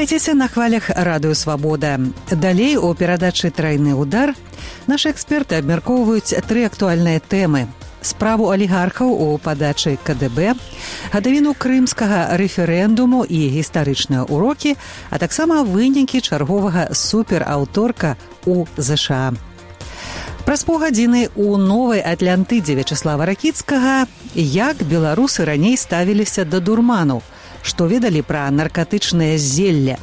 Аставайцеся на хвалях Радыё Свабода. Далей у перадачы «Трайны удар» нашы эксперты абмяркоўваюць тры актуальныя тэмы. Справу алігархаў у падачы КДБ, гадавіну крымскага рэферэндуму і гістарычныя ўрокі, а таксама вынікі чарговага супераўторка у ЗША. Праз паўгадзіны у Новай Атлантыдзе Вячаслава Ракіцкага, як беларусы раней ставіліся да дурману, што ведалі пра наркатычнае зелле.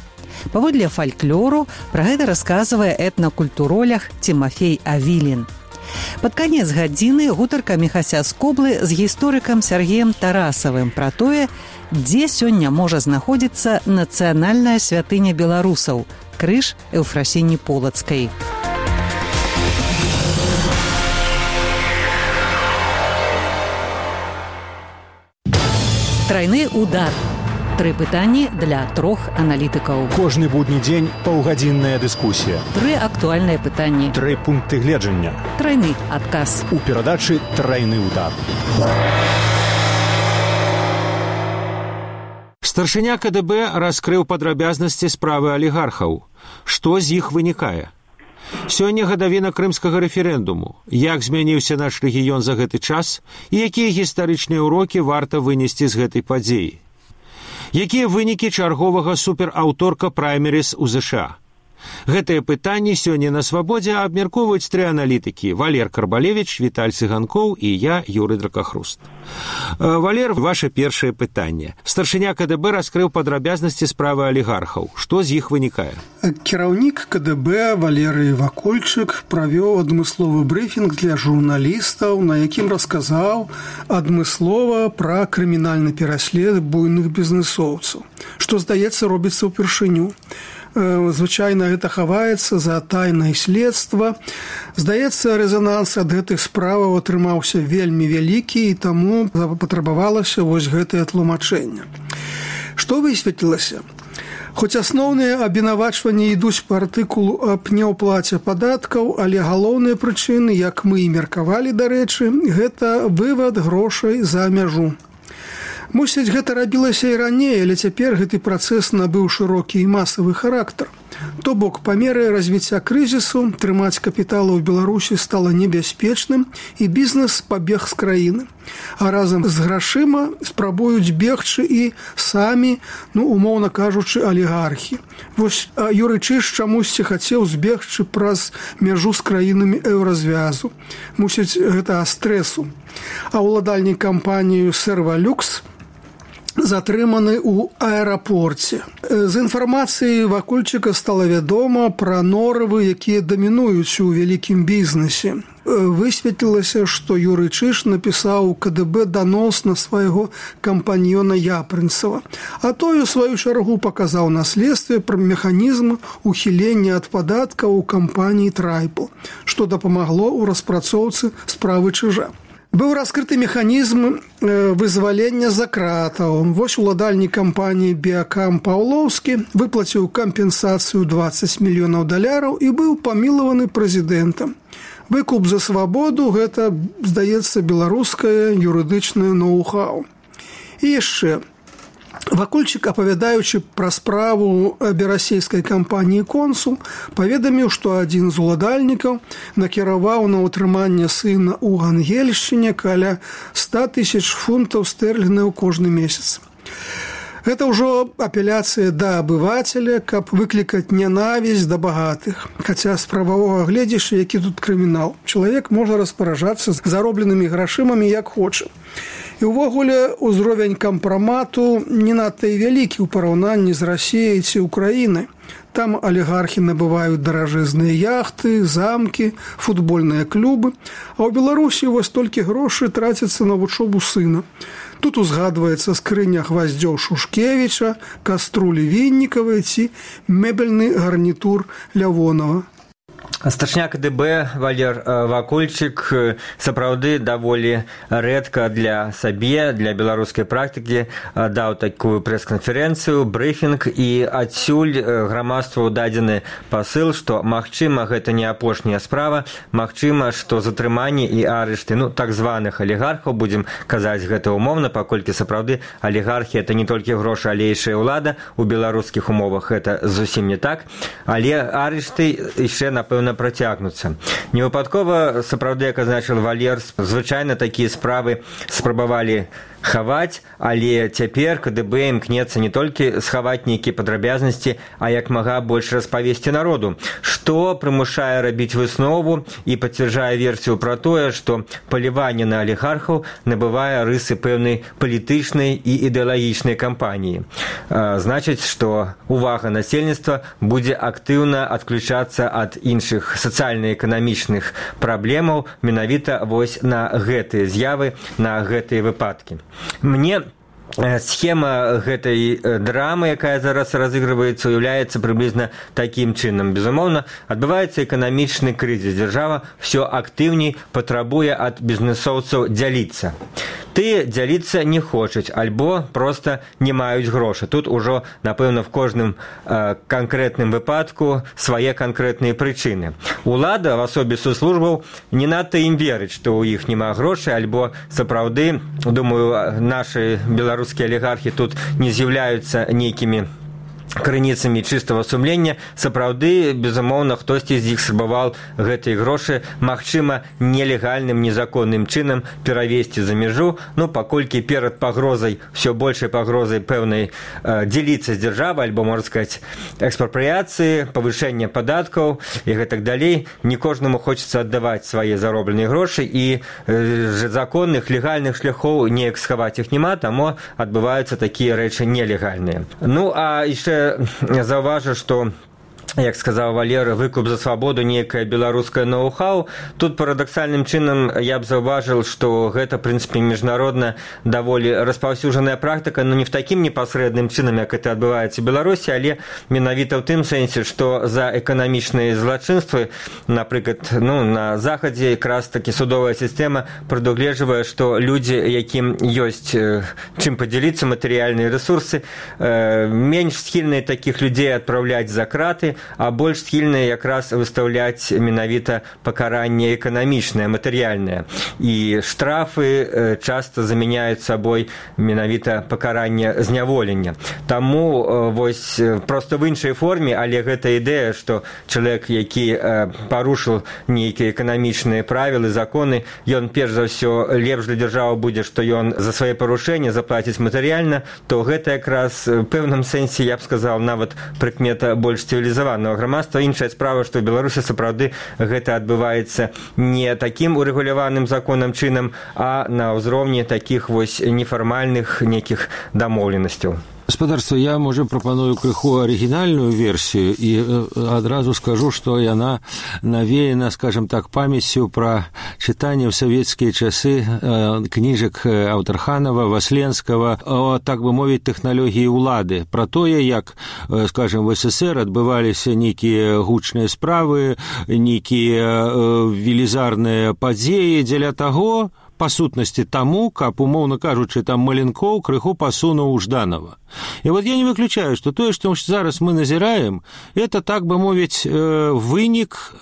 Паводле фальклору пра гэта расказвае этнакультуролог Тимофей Авилин. Пад канец гадзіны гутарка Міхася Скоблы з гісторыкам Сергеем Тарасавым пра тое, дзе сёння можа знаходзіцца нацыянальная святыня беларусаў – крыж Еўфрасіні Полацкай. Трайны удар. Тры пытанні для трох аналітыкаў. Кожны будні дзень паўгадзінная дыскусія. Тры актуальныя пытанні. Тры пункты гледжання. Трайны адказ. У перадачы «Трайны удар». Старшыня КДБ раскрыў падрабязнасці справы алігархаў. Што з іх вынікае? Сёння гадавіна крымскага рэферэндуму. Як змяніўся наш рэгіён за гэты час і якія гістарычныя ўрокі варта вынесці з гэтай падзеі? Якія вынікі чарговага супераўторка праймеріс у ЗША? Гэтыя пытанні сёння на Свабодзе абмяркоўваюць тры аналітыкі: Валер Карбалевіч, Віталь Цыганкоў і я, Юрый Дракахруст. Валер, ваше першае пытанне. Старшыня КДБ раскрыў падрабязнасці справы алігархаў. Што з іх вынікае? Кіраўнік КДБ Валерый Вакольчык правёў адмысловы брыфінг для журналістаў, на якім расказаў адмыслова пра крымінальны пераслед буйных бізнэсоўцаў, што, здаецца, робіцца ўпершыню. Звычайна гэта хаваецца за тайнае следства. Здаецца, рэзананс ад гэтых справаў атрымаўся вельмі вялікі, і таму патрабавалася вось гэтае тлумачэнне. Што высветлілася? Хоць асноўныя абвінавачванні ідуць па артыкулу аб неўплаце падаткаў, але галоўныя прычыны, як мы і меркавалі, дарэчы, гэта вывад грошай за мяжу. Мусіць, гэта рабілася і раней, але цяпер гэты працэс набыў шырокі і масавы характар. То бок, па меры развіцця крызісу трымаць капіталы ў Беларусі стала небяспечным, і бізнес пабег з краіны. А разам з грашыма спрабуюць бегчы і самі, умоўна кажучы, алігархі. Вось Юрый Чыш чамусьці хацеў збегчы праз мяжу з краінамі еўразвязу. Мусіць, гэта стрэсу. А ўладальнік кампанію «Сервалюкс» затрыманы ў аэрапорце. З інфармацыі Вакольчыка стала вядома пра норавы, якія дамінуюць у вялікім бізнесе. Высветлілася, што Юрый Чыш напісаў КДБ данос на свайго кампаньёна Япрынцава, а той у сваю чаргу паказаў на следстве пра механізм ухілення ад падаткаў у кампаніі «Трайпл», што дапамагло ў распрацоўцы справы Чыжа. Быў раскрыты механізм вызвалення за кратаў. Вось уладальнік кампаніі «Біакам» Паўлоўскі выплаціў кампенсацыю $20 мільёнаў і быў памілаваны прэзідэнтам. Выкуп за свабоду – гэта, здаецца, беларускае юрыдычнае ноу-хау. І яшчэ. Вакольчык, апавядаючы пра справу берасейскай кампаніі «Консул», паведаміў, што адзін з уладальнікаў накіраваў на ўтрыманне сына ў Ангельшчыне каля 100 000 фунтаў стэрлінгаў кожны месяц. Гэта ўжо апеляцыя да абывацеля, каб выклікаць нянавісць да багатых. Хаця з прававога гледзяшча, які тут крымінал. Чалавек можа распараджацца заробленымі грашымамі як хоча. І ўвогуле узровень кампрамату не надта і вялікі ў параўнанні з Расіяй ці Украінай. Там алігархі набываюць даражэзныя яхты, замкі, футбольныя клубы, а ў Беларусі вось толькі грошы трацяцца на вучобу сына. Тут узгадваецца скрыня гваздзёў Шушкевіча, каструлі Віннікавай ці мэбельны гарнітур Лявонава. Старшыня КДБ Валер Вакульчык сапраўды даволі рэдка для сабе, для беларускай практыкі даў такую прэс-канферэнцыю, брыфінг, і адсюль грамадству дадзены пасыл, што магчыма гэта не апошняя справа, магчыма, што затрыманні і арышты, так званых алігархаў, будзем казаць гэта умоўна, паколькі сапраўды алігархі это не толькі грошы, але яшчэ ўлада, у беларускіх умовах гэта зусім не так, але арышты яшчэ, напэўна, працягнуцца. Невыпадкова, сапраўды, як азначыў Валер, звычайна такія справы спрабавалі хаваць, але цяпер КДБ імкнецца не толькі схаваць нейкія падрабязнасці, а як мага больш распавесці народу, што прымушае рабіць выснову і пацвярджае версію пра тое, што паліванне на алігархаў набывае рысы пэўнай палітычнай і ідэалагічнай кампаніі. Значыць, што увага насельніцтва будзе актыўна адключацца ад іншых сацыяльна-эканамічных праблемаў менавіта вось на гэтыя з'явы, на гэтыя выпадкі. Мне схема гэтай драмы, якая зараз разыгрываецца, уяўляецца прыблізна такім чынам. Безумоўна, адбываецца эканамічны крызіс. Дзяржава ўсё актыўней патрабуе ад бізнэсоўцаў дзяліцца. Ты дзяліцца не хочуць, альбо проста не маюць грошы. Тут ужо, напэўна, в кожным канкрэтным выпадку свае канкрэтныя прычыны. Улада, в асобе соцслужбаў, не надта ім верыць, што ў іх няма грошай, альбо сапраўды, думаю, нашы беларускія алігархі тут не з'яўляюцца нейкімі крыніцамі чыстага сумлення. Сапраўды, безумоўна, хтосьці з іх спрабаваў гэтыя грошы, магчыма, нелегальным, незаконным чынам перавесці за мяжу, паколькі перад пагрозай, ўсё большай пагрозай пэўнай дзеліцца з дзяржавай, альбо, можна сказаць, экспрапрыяцыі, павышэння падаткаў і гэтак далей, не кожнаму хочацца аддаваць свае заробленыя грошы, і законных, легальных шляхоў неяк схаваць іх няма, таму адбываюцца такія рэчы нелегальныя. А яшчэ заўважу, што, як сказаў Валер, выкуп за свабоду, нейкае беларускае ноу-хау. Тут парадаксальным чынам я б заўважыў, што гэта, в прынцыпе, міжнародна даволі распаўсюджаная практыка, не в такім непасрэдным чынам, як это адбываецца ў Беларусі, але менавіта ў тым сэнсе, што за эканамічныя злачынствы, напрыклад, на захадзе якраз такі судовая сістэма прадугледжвае, што людзі, якім ёсць чым падзяліцца, матэрыяльныя рэсурсы, менш схільныя такіх людзей адпраўляць за краты, а больш схільныя якраз выстаўляць менавіта пакаранне эканамічнае, матэрыяльнае. І штрафы часта замяняюць сабой менавіта пакаранне зняволення. Таму вось проста в іншай форме, але гэта ідэя, што чалавек, які парушыў нейкія эканамічныя правілы, законы, ён перш за ўсё лепш для дзяржавы будзе, што ён за свае парушэнні заплаціць матэрыяльна, то гэта якраз в пэўным сэнсе, я б сказаў, нават прыкмета больш цывілізаваная грамадства. Іншая справа, што ў Беларусі сапраўды гэта адбываецца не такім урэгуляваным законам чынам, а на ўзроўні такіх вось нефармальных нейкіх дамоўленасцяў. Гаспадарства, я, можа, прапаную крыху арыгінальную версію і адразу скажу, што яна навеяна, скажем так, памяццю пра чытанне ў савецкія часы кніжак Аўтарханава, Васленскага, так бы мовіць, тэхналогіі ўлады, пра тое, як, скажем, в СССР адбываліся нейкія гучныя справы, нейкія велізарныя падзеі дзеля таго, па сутнасці таму, каб, умоўна кажучы, там Маленкоў крыху пасунуў Жданова. І вот я не выключаю, што тое, што зараз мы назіраем, это, так бы мовіць, вынік,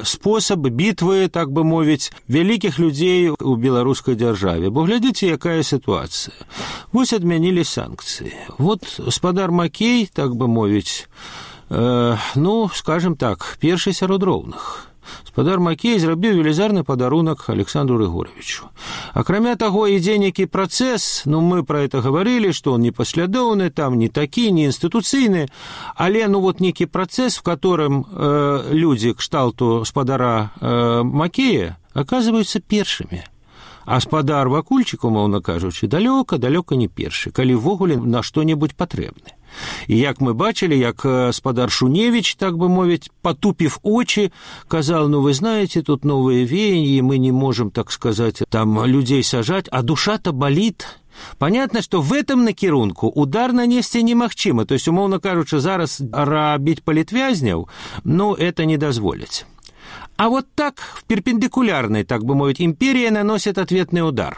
спосаб бітвы, так бы мовіць, вялікіх людзей у беларускай дзяржаве. Бо глядзіце, якая сітуацыя. Вось адмянілі санкцыі. Вот гаспадар Макей, так бы мовіць, скажем так, першы сярод роўных. Гаспадар Макей зрабіў велізарны падарунак Александру Рыгоровичу. Акрамя таго, ідзе нейкі працэс, мы пра это гаварылі, што он непаслядоўны, там не такі, не інстытуцыйны, але нейкі працэс, в которым людзі кшталту гаспадара Макея аказваюцца першымі. А гаспадар Вакульчык, умоўна кажучы, далёка не першы, калі ввогуле на што-небудзь патрэбны. І як мы бачылі, як гаспадар Шуневич, так бы мовіць, потупив очи, казал, вы знаете, тут новые веяния, мы не можем, так сказать, там людей сажать, а душа-то болит. Понятно, что в этом накірунку удар нанесці немагчыма. То есть, умоўна кажучы, зараз рабіць палітвязняў, это не дазволяць. А вот так, в перпендикулярной, так бы мовить, империя наносит ответный удар.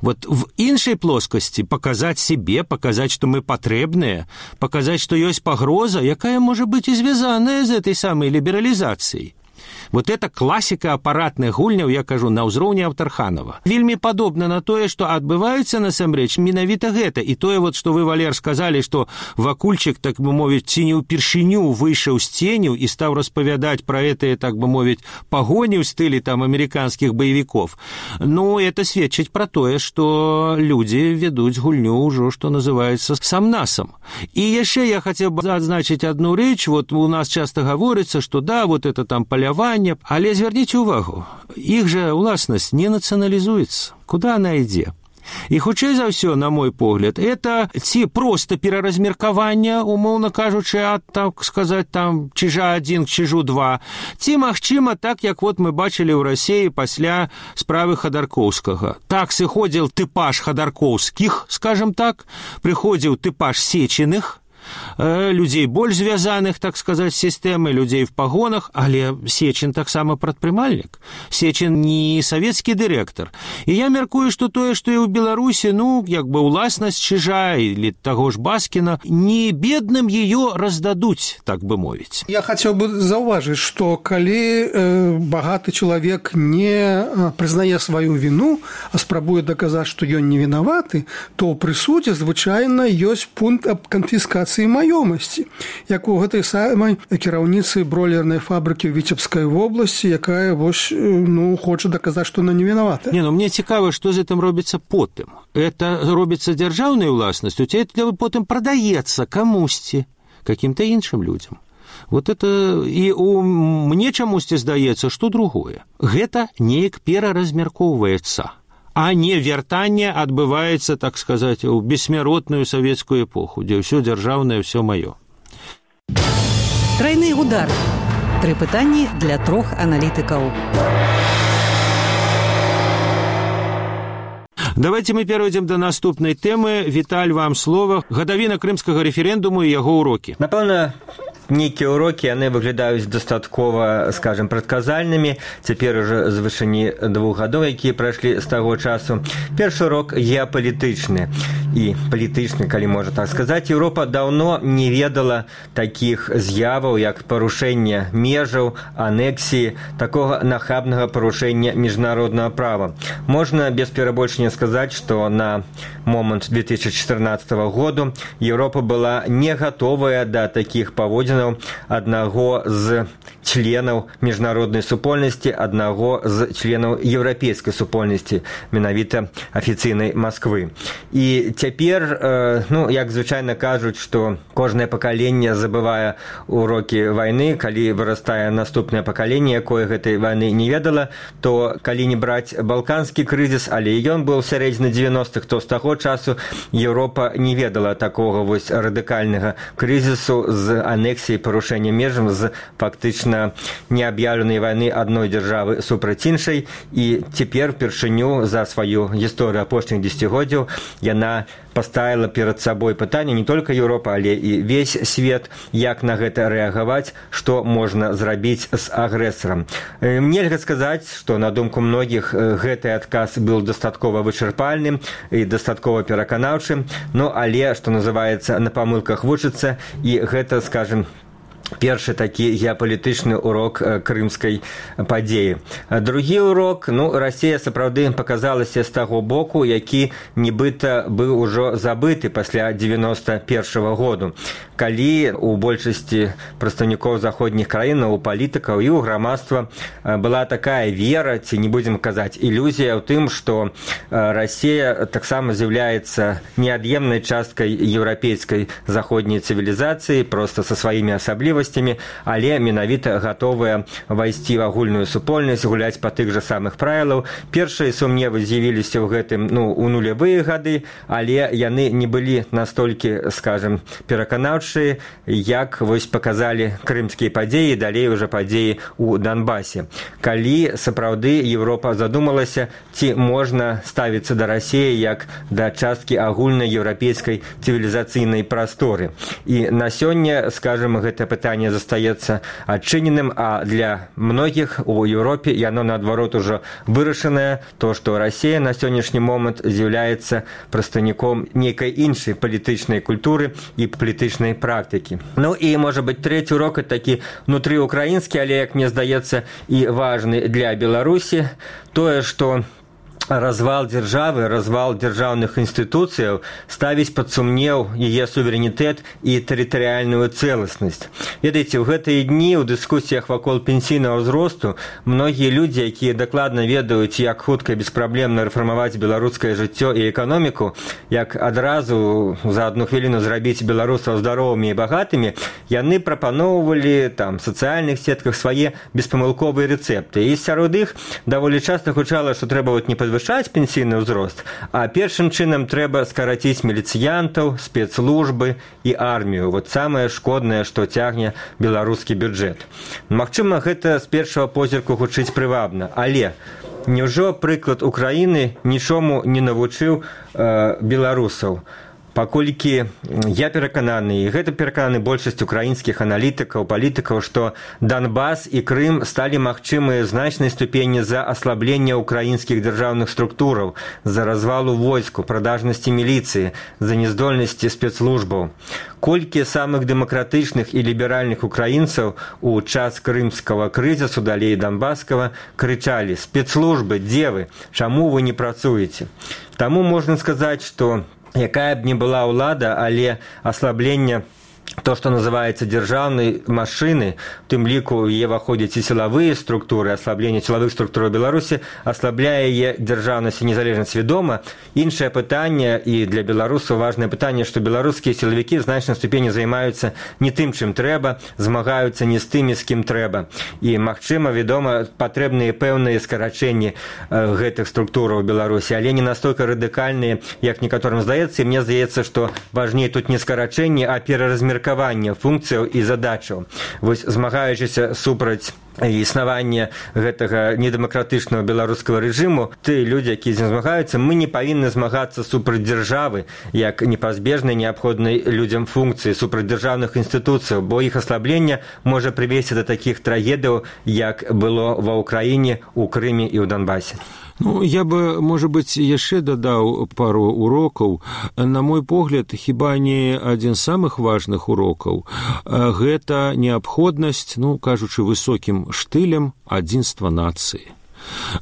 Вот в іншай плоскасці паказаць себе, паказаць, што мы патрэбныя, паказаць, што ёсць пагроза, якая можа быць і звязаная з этой самай лібералізацыяй. Вот это класіка апаратных гульняў, я кажу, на ўзроўні Аўтарханова. Вельмі падобна на тое, што адбываецца насамрэч менавіта гэта. І тое, вот, што вы, Валер, сказалі, што Вакульчык, так бы мовіць, ці не ўпершыню выйшаў з ценю і стаў распавядаць пра гэтыя, так бы мовіць, пагоні ў стылі там амерыканскіх баевікоў. Ну, это сведчыць пра тое, што людзі ведуць гульню ўжо, што называецца, сам-насам. І яшчэ я хацеў бы адзначыць адну рэч. Вот у нас часта гаворыцца, што да, вот это там паляванне, але звярніце ўвагу, іх жа уласнасць не нацыяналізуецца. Куда она ідзе? І хутчэй за ўсё, на мой погляд, это ці проста пераразмеркаванне, умоўна кажучы, ад, так сказаць, там, чижа 1 к чижу 2, ці, магчыма, так, як вот мы бачылі ў Расіі пасля справы Хадаркоўскага. Так сыходзіў тыпаж Хадаркоўскіх, скажем так, прыходзіў тыпаж Сечиных, людзей больш звязаных, так сказаць, з сістэмай, людзей в пагонах, але Сечин таксама прадпрымальнік. Сечин не савецкі дырэктар. І я мяркую, што тое, што і ў Беларусі, ну, як бы уласнасць чижа или таго ж Баскіна, не бедным ее раздадуць, так бы мовіць. Я хацеў бы заўважыць, што калі багаты чалавек не прызнае сваю віну, а спрабуе даказаць, што ён не вінаваты, то ў прысудзе звычайна ёсць пункт аб канфіскацыі маёмасці, як у гэтай самай кіраўніцы бройлернай фабрыкі ў Віцебскай вобласці, якая вось, ну, хоча даказаць, што она не вінавата. Не, ну мне цікава, што з гэтым робіцца потым. Это робіцца дзяржаўнай уласнасцю, ці это потым прадаецца камусьці, каким-то іншым людзям. Вот это і мне чамусьці здаецца, што другое. Гэта неяк пераразмяркоўваецца, а не вяртанне адбываецца, так сказаць, у бессмяротную савецкую эпоху, дзе ўсё дзяржаўнае, ўсё маё. Тройны удар. 3 пытанні для 3 аналітыкаў. Давайте мы перейдем до наступной темы. Віталь, вам слово. Гадавіна крымскага рэферэндуму і яго урокі. Напэўна, нейкія урокі, яны выглядаюць дастаткова, скажем, прадказальнымі. Цяпер уже з вышыні 2 гадоў, якія прайшлі з таго часу. Першы урок геапалітычны і палітычны, калі можна так сказаць. Еўропа даўно не ведала такіх з'яваў, як парушэнне межаў, анексіі, такога нахабнага парушэння міжнароднага права. Можна без перабольшання сказаць, што на момант 2014 году Еўропа была не гатовая да такіх паводзін аднаго з членаў міжнароднай супольнасці, аднаго з членаў еўрапейскай супольнасці, менавіта афіцыйнай Масквы. І цяпер, ну, як звычайна кажуць, што кожнае пакаленне забывае урокі вайны, калі вырастае наступнае пакаленне, якое гэтай вайны не ведала, то калі не браць балканскі крызіс, але ён быў у сярэдзіне 90-х, то з таго часу Еўропа не ведала такога вось радыкальнага крызісу з анексіяй, парушэння межаў, з фактычна неаб'яўленай вайны адной дзяржавы супраць іншай. І цяпер упершыню за сваю гісторыю апошніх дзесяцігоддзяў яна паставіла перад сабой пытанне не толькі Еўропа, але і весь свет, як на гэта рэагаваць, што можна зрабіць з агрэсарам. Нельга сказаць, што на думку многіх гэты адказ быў дастаткова вычарпальным і дастаткова пераканаўчым, ну але, што называецца, на памылках вучыцца, і гэта, скажем, першы такі геапалітычны урок крымскай падзеі. Другі урок, ну, Расія сапраўды паказалася з таго боку, які нібыта быў ужо забыты пасля 91-го году, калі у большасці прадстаўнікоў заходніх краін, у палітыкаў і ў грамадства была такая вера, ці не будзем казаць ілюзія ў тым, што Расія таксама з'яўляецца неад'емнай часткай еўрапейскай заходняй цывілізацыі, проста са сваімі асаблівасцямі, але менавіта гатовая вайсці ў агульную супольнасць, гуляць па тых жа самых правілаў. Першыя сумневы з'явіліся ў гэтым, ну, у нулявыя гады, але яны не былі настолькі, скажем, пераканаўчыя, як вось паказалі крымскія падзеі, далей уже падзеі ў Донбасе. Калі сапраўды Еўропа задумалася, ці можна ставіцца да Расіі як да часткі агульнай еўрапейскай цывілізацыйнай прасторы. І на сёння, скажем, гэта пытанне пытанне застаецца адчыненым, а для многіх у Еўропе яно наадварот ужо вырашанае, то што Расія на сённяшні момант з'яўляецца прадстаўніком нейкай іншай палітычнай культуры і палітычнай практыкі. Ну і можа быць трэці урок такі внутрыукраінскі, але як мне здаецца і важны для Беларусі, тое, што развал дзяржавы, развал дзяржаўных інстытуцыяў ставіць пад сумнеў яе суверэнітэт і тэрытарыяльную цэласнасць. Ведаеце, у гэтыя дні ў дыскусіях вакол пенсійнага ўзросту многія людзі, якія дакладна ведаюць, як хутка і беспраблемна рэфармаваць беларускае жыццё і эканоміку, як адразу за адну хвіліну зрабіць беларусаў здаровымі і багатымі, яны прапаноўвалі там сацыяльных сетках свае беспамылковыя рэцэпты. І сярод іх даволі часта гучала, што трэба не падвышаць пенсійны ўзрост, а першым чынам трэба скараціць міліцыянтаў, спецслужбы і армію. Вот самае шкоднае, што цягне беларускі бюджэт. Магчыма, гэта з першага позірку гучыць прывабна, але няўжо прыклад Украіны нічому не навучыў беларусаў? Паколькі я перакананы, і гэта перакананы большасць украінскіх аналітыкаў, палітыкаў, што Донбас і Крым сталі магчымыя значнай ступені за аслаблення украінскіх дзяржаўных структураў, за развалу войску, прадажнасці міліцыі, за няздольнасці спецслужбаў. Колькі самых дэмакратычных і ліберальных украінцаў у час крымскага крызісу, далей донбасскага, крычалі: «Спецслужбы, дзе вы? Чаму вы не працуеце?» Таму можна сказаць, што якая б ні была ўлада, але аслабленне, то, што называецца дзяржаўнай машыны, у тым ліку яе ўваходзяць і сілавыя структуры, аслабленне сілавых структур у Беларусі аслабляе яе дзяржаўнасць і незалежнасць свядома. Іншае пытанне, і для беларусаў важнае пытанне, што беларускія сілавікі в значнай ступені займаюцца не тым, чым трэба, змагаюцца не з тымі, з кім трэба. І, магчыма, вядома, патрэбныя пэўныя скарачэнні гэтых структураў у Беларусі, але не настолькі радыкальныя, як некаторым здаецца. І мне здаецца, што важней тут не скарачэнні, а пераразмеркаванне функцыяў і задачаў. Вось, змагаючыся супраць існавання гэтага недэмакратычнага беларускага рэжыму, ты, людзі, якія з ім змагаюцца, мы не павінны змагацца супраць дзяржавы, як непазбежнай неабходнай людзям функцыі, супраць дзяржаўных інстытуцыяў, бо іх аслабленне можа прывесці да такіх трагедыяў, як было ва ўкраіне, у Крыме і ў Донбасе. Ну, я бы, может быть, яшчэ дадаў пару урокаў. На мой погляд, хіба не адзін з самых важных урокаў. Гэта неабходнасць, ну, кажучы высокім штылем, адзінства нацыі.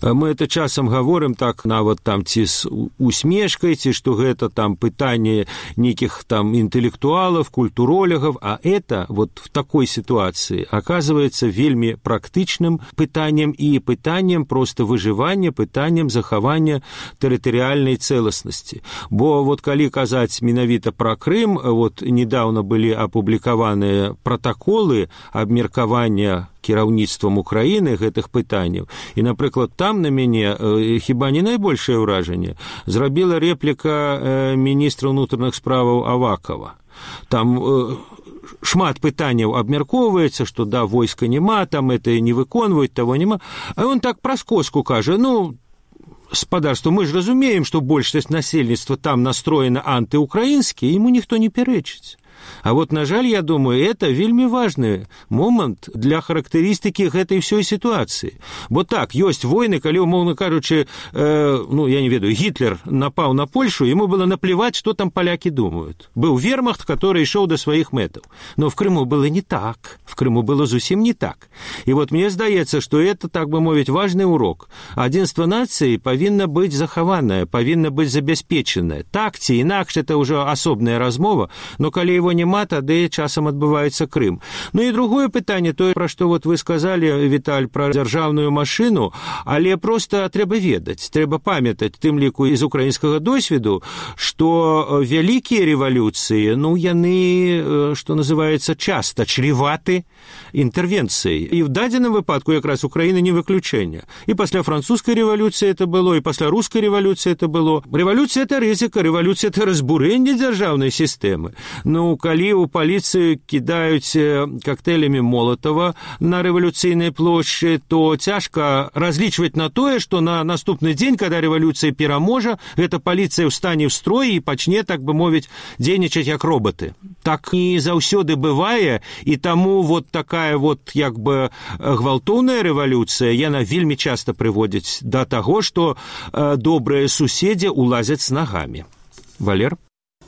Мы это часам говорим так, нават там ці з усмешкай, ці што гэта там пытанне нейкіх там інтэлектуалаў, культуролягаў, а это вот в такой ситуации оказывается вельмі практычным пытаннем і пытаннем просто выжывання, пытаннем захавання тэрытарыяльнай цэласнасці. Бо вот калі казаць менавіта пра Крым, вот недавно былі апублікаваныя пратаколы абмеркавання кіраўніцтвам Украіны гэтых пытанняў. І, напрыклад, там на мяне хіба не найбольшае ўражанне зрабіла рэпліка міністра ўнутраных справаў Авакова. Там шмат пытанняў абмяркоўваецца, што да, войска няма, там это не выконваюць, таго няма. А он так праз коску кажа: ну, спадарства, мы ж разумеем, што большасць насельніцтва там настроена антыукраінскі, ему ніхто не пярэчыць. А вот, на жаль, я думаю, это вельмі важны момант для характарыстыкі гэтай ўсёй сітуацыі. Бо так, ёсць войны, калі, умоўна кажучы, ну, я не ведаю, Гітлер напаў на Польшу, ему было наплевать, что там поляки думают. Был вермахт, который шел до своих мэтаў. Но в Крыму было не так. В Крыму было зусім не так. И вот мне здаецца, что это, так бы мовіць, важный урок. Адзінства нацыі павінна быць захаванае, павінна быць забяспечанае. Так ці інакш, это ўжо асобная размова, но калі его няма, тады часам адбываецца Крым. Ну і другое пытанне, тое, пра што вот вы сказалі, Віталь, пра дзяржаўную машыну, але проста трэба ведаць, трэба памятаць, тым ліку з украінскага досведу, што вялікія рэвалюцыі, ну, яны, што называецца, часта чреваты інтэрвенцыяй. І в дадзеным выпадку якраз Украіна не выключэнне. І пасля французскай рэвалюцыі это было, і пасля рускай рэвалюцыі это было. Рэвалюцыя — это рызыка, рэвалюцыя — это разбурэнне дзяржаўнай сістэмы. Ну, калі ў паліцыю кідаюць коктейлямі Молотова на рэвалюцыйнай плошчы, то цяжка разлічваць на тое, што на наступны дзень, калі рэвалюцыя пераможа, гэта паліцыя ўстане ў строй і пачне, так бы мовіць, дзейнічаць як роботы. Так не заўсёды бывае, і таму вот такая вот як бы гвалтоўная рэвалюцыя, яна вельмі часта прыводзіць да таго, што добрыя суседзі улазяць з нагамі. Валер?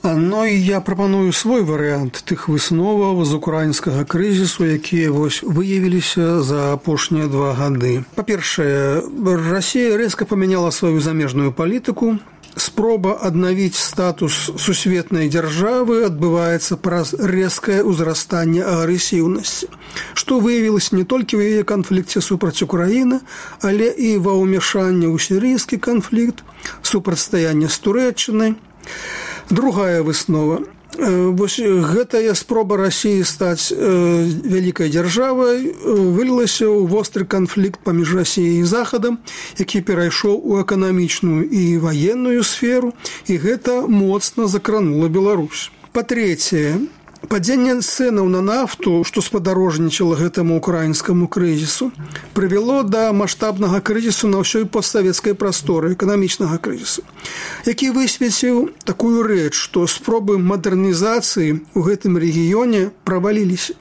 Ну і я прапаную свой варыянт тых высноваў з украінскага крызісу, якія выявіліся за апошнія 2 гады. Па-першае, Расія рэзка памяняла сваю замежную палітыку. Спроба аднавіць статус сусветнай дзяржавы адбываецца праз рэзкае ўзрастанне агрэсіўнасці, што выявілася не толькі ў яе канфлікце супраць Украіны, але і ва ўмяшанні ў сірыйскі канфлікт, супрацьстаянне з Турэччынай. Другая выснова. Вось гэтая спроба Расіі стаць вялікай дзяржавай вылілася ў востры канфлікт паміж Расіяй і Захадам, які перайшоў у эканамічную і ваенную сферу, і гэта моцна закранула Беларусь. Па-трэцяе, падзенне цэнаў на нафту, што спадарожнічала гэтаму украінскаму крызісу, прывяло да маштабнага крызісу на ўсёй постсавецкай прасторы, эканамічнага крызісу, які высветліў такую рэч, што спробы мадэрнізацыі ў гэтым рэгіёне праваліліся.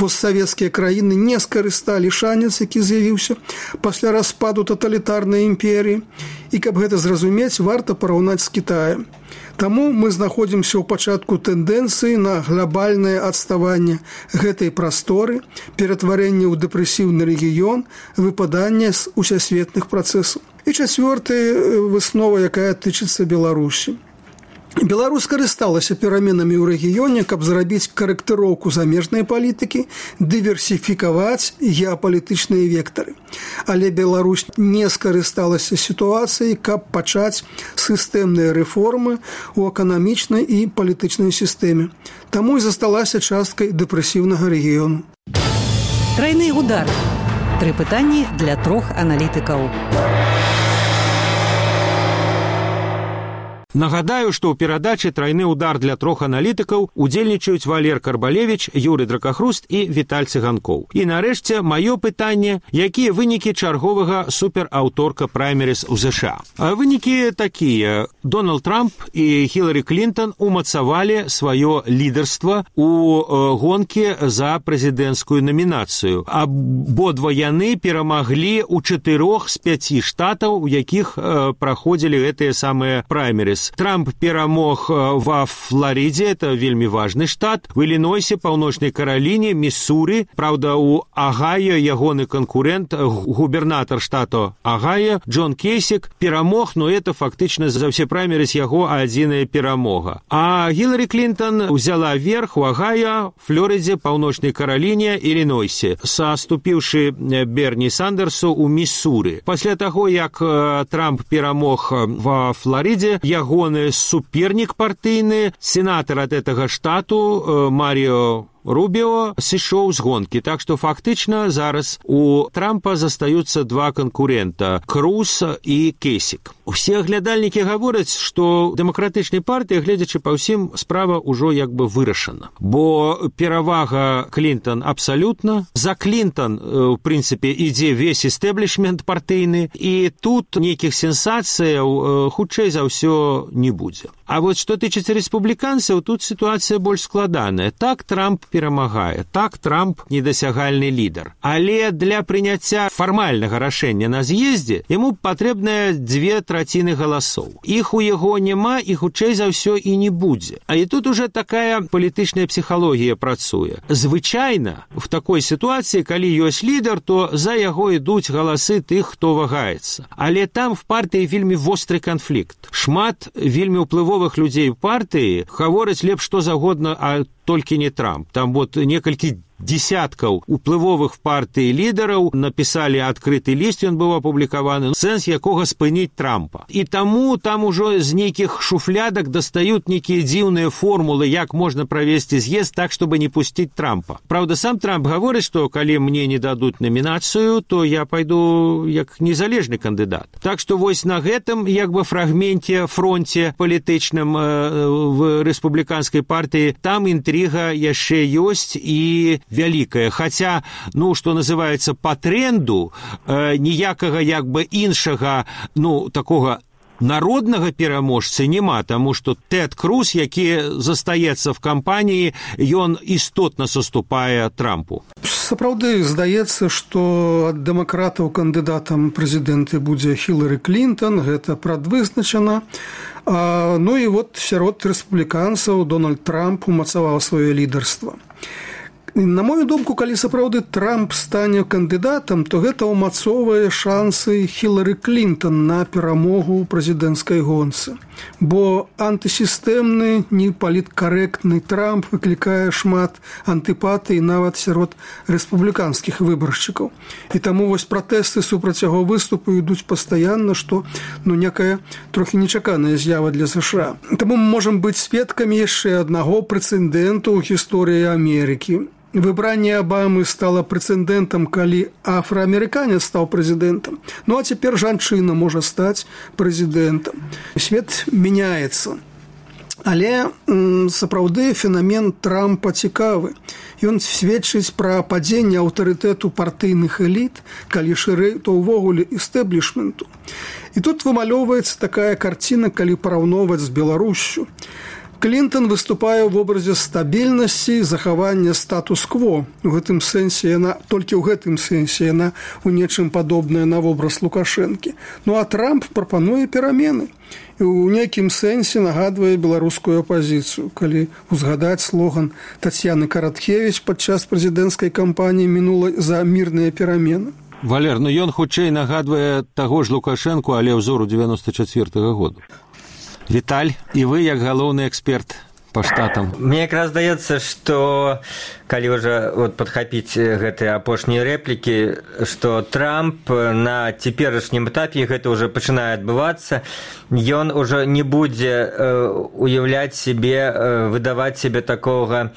Постсавецкія краіны не скарысталі шанец, які з'явіўся пасля распаду таталітарнай імперіі, і каб гэта зразумець, варта параўнаць з Кітаем. Таму мы знаходзімся ў пачатку тэндэнцыі на глобальнае адставанне гэтай прасторы, ператварэнне ў дэпрэсіўны рэгіён, выпаданне з усесветных працэсаў. І чацвёртая выснова, якая тычыцца Беларусі. Беларусь карысталася пераменамі ў рэгіёне, каб зрабіць карэктыроўку замежнай палітыкі, дыверсіфікаваць геапалітычныя вектары. Але Беларусь не скарысталася сітуацыяй, каб пачаць сістэмныя рэформы ў эканамічнай і палітычнай сістэме. Таму і засталася часткай дэпрэсіўнага рэгіёну. Трайны удар. 3 пытанні для 3 аналітыкаў. Нагадаю, што ў перадачы «Трайны удар» для 3 аналітыкаў удзельнічаюць Валер Карбалевіч, Юрый Дракахруст і Віталь Цыганкоў. І нарэшце маё пытанне, якія вынікі чарговага супераўторка праймеріз у ЗША. Вынікі такія. Дональд Трамп і Хіларі Клінтон умацавалі сваё лідарства у гонкі за прэзідэнцкую намінацыю. Абодва яны перамаглі ў 4 з 5 штатаў, у якіх праходзілі гэтыя самыя праймеріз. Трамп перамог ва Флоридзе, это вельмі важны штат, в Іллінойсе, Паўночнай Караліне, Міссуры. Праўда, у Агайо ягоны канкурент, губернатар штату Агайо, Джон Кейсік, перамог, но это фактычна за ўсе праймеріз яго адзіная перамога. А Хіларі Клінтон узяла верх у Агайо, Флоридзе, Паўночнай Караліне, Іллінойсе, саступіўшы Берні Сандерсу ў Міссуры. Пасля таго, як Трамп перамог ва Флоридзе, ягоны супернік партыйны, сенатар ад гэтага штату Маріо Рубіо сышоў з гонкі. Так што фактычна зараз у Трампа застаюцца 2 канкурента – Круз і Кейсік. Усе глядальнікі гавораць, што дэмакратычнай партыі, гледзячы па ўсім, справа ўжо як бы вырашана. Бо перавага Клінтон абсалютна. За Клінтон, у прынцыпе, ідзе весь эстэблішмент партыйны, і тут нейкіх сенсацыяў хутчэй за ўсё не будзе. А вот што тычыцца рэспубліканцаў, тут сітуацыя больш складаная. Так, Трамп перамагае. Так, Трамп недасягальны лідар. Але для прыняцця фармальнага рашэння на з'ездзе яму патрэбныя 2/3 галасоў. Іх у яго няма і хутчэй за ўсё і не будзе. А і тут уже такая палітычная псіхалогія працуе. Звычайна, в такой сітуацыі, калі ёсць лідар, то за яго ідуць галасы тых, хто вагаецца. Але там в партыі вельмі востры канфлікт. Шмат вельмі ўплывовых людзей у партыі гавораць лепш што загодна, а толькі не Трамп. Там вот некалькі десяткаў уплывовых партый лідараў напісалі адкрыты ліст, ён быў апублікаваны, сэнс якога спыніць Трампа. І таму там ужо з нейкіх шуфлядак дастаюць нейкія дзіўныя формулы, як можна правесці з'езд так, чтобы не пусціць Трампа. Праўда, сам Трамп гаворыць, што калі мне не дадуць намінацыю, то я пайду як незалежны кандыдат. Так што вось на гэтым як бы фрагменте, фронте палітычным в рэспубліканскай партыі там інтрыга яшчэ ёсць і вялікая. Хаця, ну, што называецца, па тренду ніякага як бы іншага, ну, такога народнага пераможцы няма, таму што Тэд Круз, які застаецца в кампаніі, ён істотна саступае Трампу. Сапраўды, здаецца, што ад дэмакратаў кандыдатам прэзідэнты будзе Хілары Клінтон, гэта прадвызначана. Ну і вот сярод рэспубліканцаў Дональд Трамп умацаваў сваё лідарства. На мою думку, калі сапраўды Трамп стане кандыдатам, то гэта ўмацоўвае шансы Хілары Клінтон на перамогу ў прэзідэнцкай гонцы. Бо антысістэмны, непаліткарэктны Трамп выклікае шмат антыпатый нават сярод рэспубліканскіх выбаршчыкаў. І таму вось пратэсты супраць яго выступу ідуць пастаянна, што некая трохі нечаканая з'ява для США. Таму мы можам быць сведкамі яшчэ аднаго прэцэдэнту ў гісторыі Амерыкі. Выбранне Абамы стало прэцэдэнтам, калі афраамерыканец стаў прэзідэнтам. Ну а цяпер жанчына можа стаць прэзідэнтам. Свет мяняецца. Але сапраўды фенамен Трампа цікавы. Ён сведчыць пра падзенне аўтарытэту партыйных эліт, калі шырэй, то ўвогуле эстэблішменту. І тут вымалёўваецца такая карціна, калі параўноўваць з Беларусю. Клінтон выступае ў вобразе стабільнасці, захавання статус-кво. У гэтым сэнсе яна, толькі ў гэтым сэнсе яна у нечым падобная на вобраз Лукашэнкі. Ну а Трамп прапануе перамены. І ў нейкім сэнсе нагадвае беларускую апазіцыю. Калі узгадаць слоган Тацьяны Караткевіч падчас прэзідэнцкай кампаніі мінулай за мірныя перамены. Валер, ну ён хутчэй нагадвае таго ж Лукашэнку, але ўзору 94-го году. Віталь, і вы, як галоўны эксперт па штатам. Мне якраз здаецца, што калі ўжо падхапіць гэтыя апошнія рэплікі, што Трамп на цяперашнім этапе, гэта ўжо пачынае адбывацца, ён ужо не будзе уяўляць сябе, выдаваць сябе такога,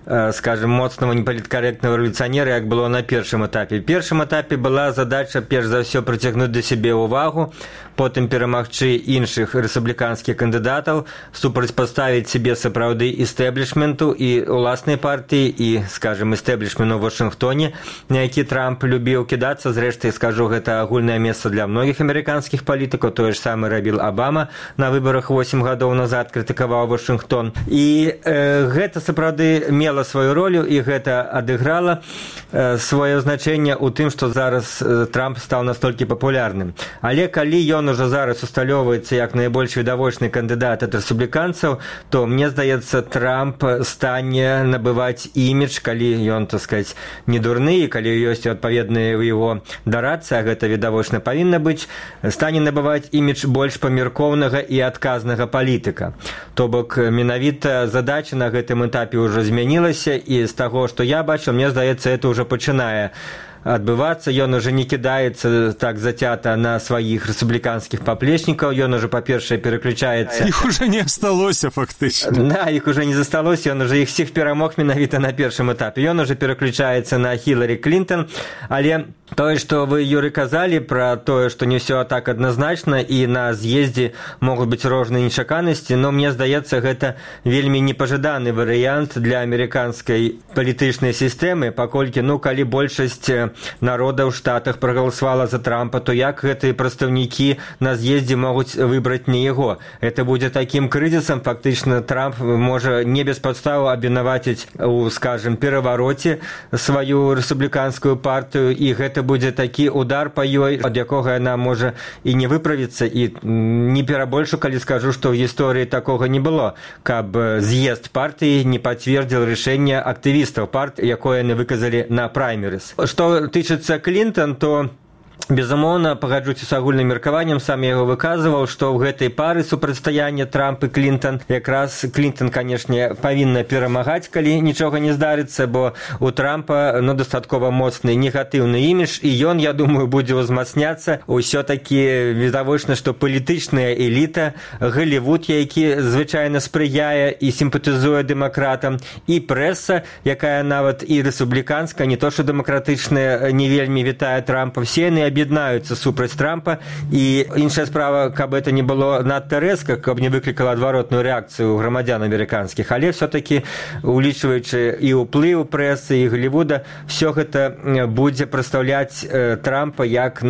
скажем, моцного непаліткарэктного рэвалюцыянера, як было на першым этапе. В першым этапе была задача, перш за ўсё, прыцягнуць да сябе ўвагу, потым перамагчы іншых рэспубліканскіх кандыдатаў, супрацьпаставіць сябе сапраўды эстэблішменту і ўласнай партыі, і, скажем, эстэблішменту ў Вашынгтоне, на які Трамп любіў кідацца. Зрэшты, скажу, гэта агульнае месца для многіх амерыканскіх палітыкаў, тое ж самае рабіў Абама на выбарах 8 гадоў назад, крытыкаваў Вашынгтон. І гэта сапраўды мела сваю ролю, і гэта адыграла сваё значэнне ў тым, што зараз Трамп стаў настолькі папулярным. Але калі ён ужо зараз усталёўваецца як найбольш відавочны кандыдат ад рэспубліканцаў, то мне здаецца, Трамп стане набываць імідж, калі ён, так сказаць, не дурны, і калі ёсць адпаведныя ў яго дарацы, а гэта відавочна павінна быць, стане набываць імідж больш памяркоўнага і адказнага палітыка. То бок менавіта задача на гэтым этапе ўжо змянілася, і з таго, што я бачыў, мне здаецца, это ўжо пачынае адбывацца. Ён уже не кідаецца так зацята на сваіх рэспубліканскіх паплечнікаў, ён уже, па-першае, пераключаецца... Іх уже не асталося, фактычна. Да, іх уже не засталося, ён уже іх всіх перамог менавіта на першым этапе. Ён уже пераключаецца на Хілары Клінтон, але тое, што вы, Юры, казалі пра тое, што не ўсё так адназначна, і на з'ездзе могуць быць розныя нечаканасці, но мне здаецца, гэта вельмі непажаданы варыянт для амерыканскай палітычнай сістэмы, паколькі, калі большасць народа ў Штатах прагаласавала за Трампа, то як гэтыя прадстаўнікі на з'ездзе могуць выбраць не яго? Это будзе такім крызісам, фактычна Трамп можа не без падставаў абвінаваціць у, скажем, перавароце сваю рэспубліканскую партыю, і гэта будзе такі удар па ёй, ад якога яна можа і не выправіцца, і не перабольшу, калі скажу, што ў гісторыі такога не было, каб з'езд партыі не пацвердзіў рашэнне актывістаў партыі, якое яны выказалі на праймерыс. Што тычыцца Клінтон, то Безумоўна, пагаджуся з агульным меркаваннем, сам я яго выказваў, што ў гэтай пары супрацьстаяння Трамп і Клінтон, якраз Клінтон, канешне, павінна перамагаць, калі нічога не здарыцца, бо у Трампа дастаткова моцны негатыўны імідж, і ён, я думаю, будзе ўзмацняцца. Усё-такі відавочна, што палітычная эліта, Голлівуд, які звычайна спрыяе і сімпатызуе дэмакратам, і прэса, якая нават і рэспубліканская, не то што дэмакратычная, не вельмі вітае Трампа, все яны аб'яднаюцца супраць Трампа, і іншая справа, каб это не было надта рэзка, каб не выклікала адваротную рэакцыю грамадзян амерыканскіх, але все-таки, улічваючы і ўплыў прэсы, і Голлівуда, все гэта будзе прадстаўляць Трампа як,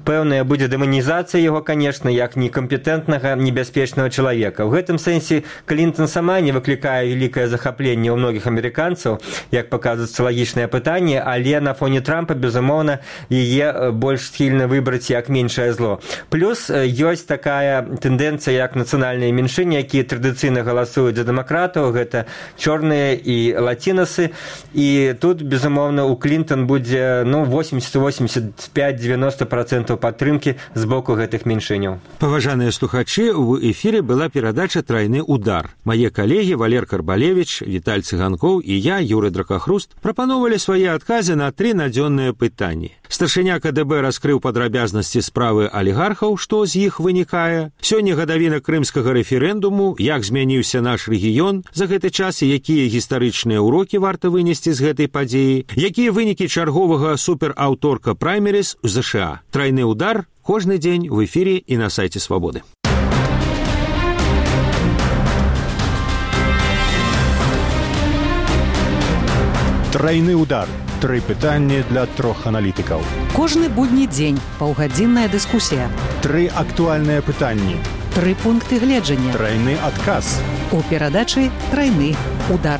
пэўная будзе дэманізацыя яго, конечно, як некампетэнтнага, небяспечнага чалавека. В гэтым сэнсе Клінтон сама не выклікае вялікае захапленне ў многіх амерыканцаў, як паказваецца социалагічнае пытанне, але на фоне Трампа, безумоўна, яе больш схільна выбраць як меншае зло. Плюс ёсць такая тэндэнцыя, як нацыянальныя меншыны, якія традыцыйна галасуюць за дэмакратаў, гэта чорныя і лацінасы, і тут, безумоўна, у Клінтон будзе 80-85-90% падтрымкі з боку гэтых меншыняў. Паважаныя слухачы, у эфіры была перадача «Трайны удар». Мае калегі Валер Карбалевіч, Віталь Цыганкоў і я, Юры Дракахруст, прапановалі свае адказы на 3 надзённыя пытанні. Старшыня КДБ раскрыў падрабязнасці справы алігархаў, што з іх вынікае. Сёння гадавіна крымскага рэферэндуму, як змяніўся наш рэгіён за гэты час і якія гістарычныя ўрокі варта вынесці з гэтай падзеі, якія вынікі чарговага супераўторка праймеріз у ЗША. «Трайны удар» кожны дзень в эфіры і на сайце Свабоды. Трайны удар. 3 пытанні для 3 аналітыкаў. Кожны будні дзень паўгадзінная дыскусія. 3 актуальныя пытанні. 3 пункты гледжання. Трайны адказ. У перадачы «Трайны удар».